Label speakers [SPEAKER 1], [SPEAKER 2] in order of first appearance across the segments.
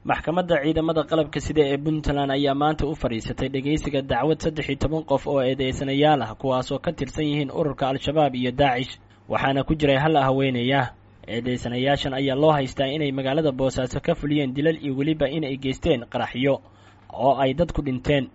[SPEAKER 1] Maxkamadda ciidamada qalabka sida ee Puntland ayaa maanta u fadhiisatay dhegeysiga dacwad 13 qof oo eedeysanayaal ah, kuwaasoo ka tirsan yihiin ururka Al-Shabaab iyo Daacish, waxaana ku jiray hal haweenaya. Eedeysanayaashan ayaa loo haystaa inay magaalada Boosaaso ka fuliyeen dilal iyo weliba inay geysteen qaraxyo oo ay dad ku dhinteen,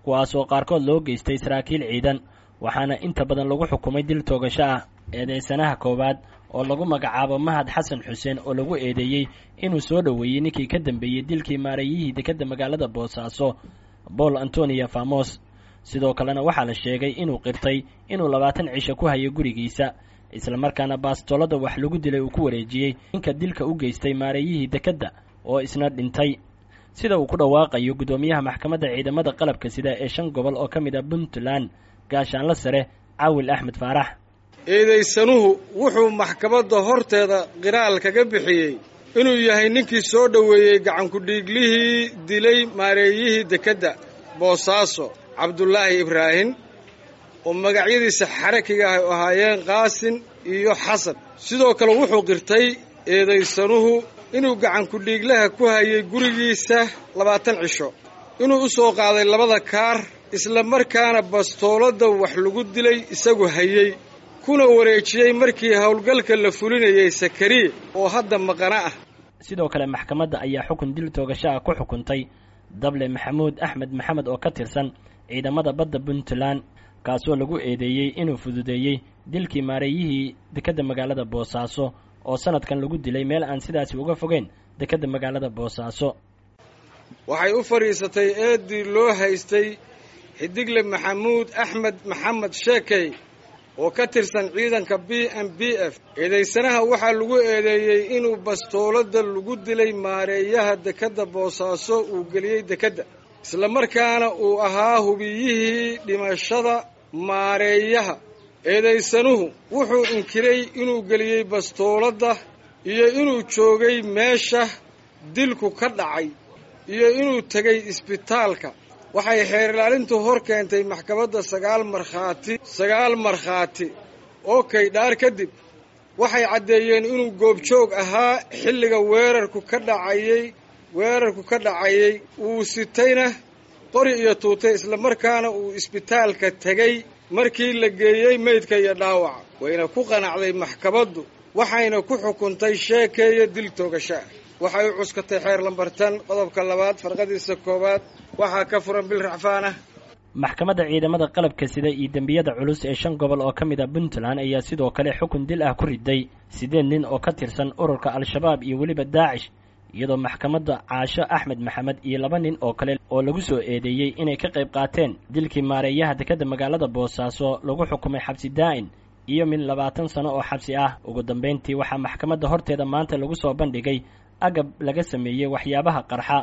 [SPEAKER 1] kuwaasoo qaarkood loo geystay saraakiil ciidan, waxaana inta badan lagu xukumay dil toogasho ah. Eedeysanaha koowaad oo lagu magacaabo Mahad Xasan Xuseen oo lagu eedeeyey inuu soo dhoweeyey ninkii ka dambeeyey dilkii maareeyihii dekedda magaalada Boosaaso Paul Antonio Famos. Sidoo kalena waxaa la sheegay inuu qirtay inuu 20 cisho ku hayay gurigiisa, islamarkaana baastolada wax lagu dilay uu ku wareejiyey ninka dilka u geystay maareeyihii dekedda oo isna dhintay, sida uu ku dhawaaqayo guddoomiyaha maxkamadda ciidamada qalabka sida ee 5 gobol oo ka mid ah Puntland, Gaashaanla Sare Caawil Axmed Faarax.
[SPEAKER 2] Eedaysanuhu wuxuu maxkamadda horteeda qiraal kaga bixiyey inuu yahay ninkii soo dhoweeyey gacankudhiiglihii dilay maareeyihii dekedda Boosaaso Cabdulaahi Ibraahim, oo magacyadiisa xarakiga ah ahaayeen Qaasin iyo Xasan. Sidoo kale wuxuu qirtay eedaysanuhu inuu gacankudhiiglaha ku hayay gurigiisa 20 cisho, inuu u soo qaaday labada kaar, isla markaana bastooladda wax lagu dilay isagu hayey, kuna wareejiyey markii howlgalka la fulinayay Sakariye oo hadda maqana ah.
[SPEAKER 1] Sidoo kale maxkamadda ayaa xukun dil toogasho ah ku xukuntay Dable Maxamuud Axmed Maxamed oo ka tirsan ciidamada badda Puntland, kaasoo lagu eedeeyey inuu fududeeyey dilkii maareeyihii dekedda magaalada Boosaaso oo sanadkan lagu dilay meel aan sidaasi uga fogeyn dekedda magaalada Boosaaso.
[SPEAKER 2] Waxay u fadhiisatay eeddii loo haystay Xidigle Maxamuud Axmed Maxamed Sheekey oo ka tirsan ciidanka B M B F. Eedaysanaha waxaa lagu eedeeyey inuu bastooladda lagu dilay maareeyaha dekedda Boosaaso uu geliyey dekedda, islamarkaana uu ahaa hubiyihii dhimashada maareeyaha. Eedaysanuhu wuxuu inkiray inuu geliyey bastooladda iyo inuu joogay meesha dilku ka dhacay iyo inuu tegey isbitaalka. Waxay xeer ilaalintu hor keentay maxkamadda 9 markhaati, 9 markhaati oo kaydhaar kadib waxay caddeeyeen inuu goobjoog ahaa xilliga weerarku ka dhacayey, uu sitayna qori iyo tuutay, islamarkaana uu isbitaalka tegey markii la geeyey meydka iyo dhaawaca. Wayna ku qanacday maxkamaddu, waxayna ku xukuntay Sheekeeye dil toogasho ah. Waxay u cuskatay xeer lambartan qodobka 2 farqadiisa 1. Waxaa ka furan bil racfaan ah.
[SPEAKER 1] Maxkamadda ciidamada qalabka sida iyo dembiyada culus ee 5 gobol oo ka mid ah Puntland ayaa sidoo kale xukun dil ah ku riday 8 nin oo ka tirsan ururka Al-Shabaab iyo weliba Daacish, iyadoo maxkamadda Caasho Axmed Maxamed iyo 2 nin oo kale oo lagu soo eedeeyey inay ka qayb qaateen dilkii maareeyaha dekedda magaalada Boosaaso lagu xukumay xabsi daa'in iyo min 20 sano oo xabsi ah. Ugu dambeyntii waxaa maxkamadda horteeda maanta lagu soo bandhigay agab laga sameeyey waxyaabaha qarxa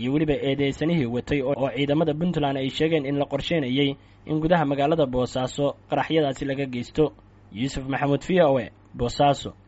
[SPEAKER 1] iyo weliba eedeysanihii watay oo ciidamada Puntland ay sheegeen in la qorsheynayay in gudaha magaalada Boosaaso qaraxyadaasi laga geysto. Yuusuf Maxamuud, V O A, Boosaaso.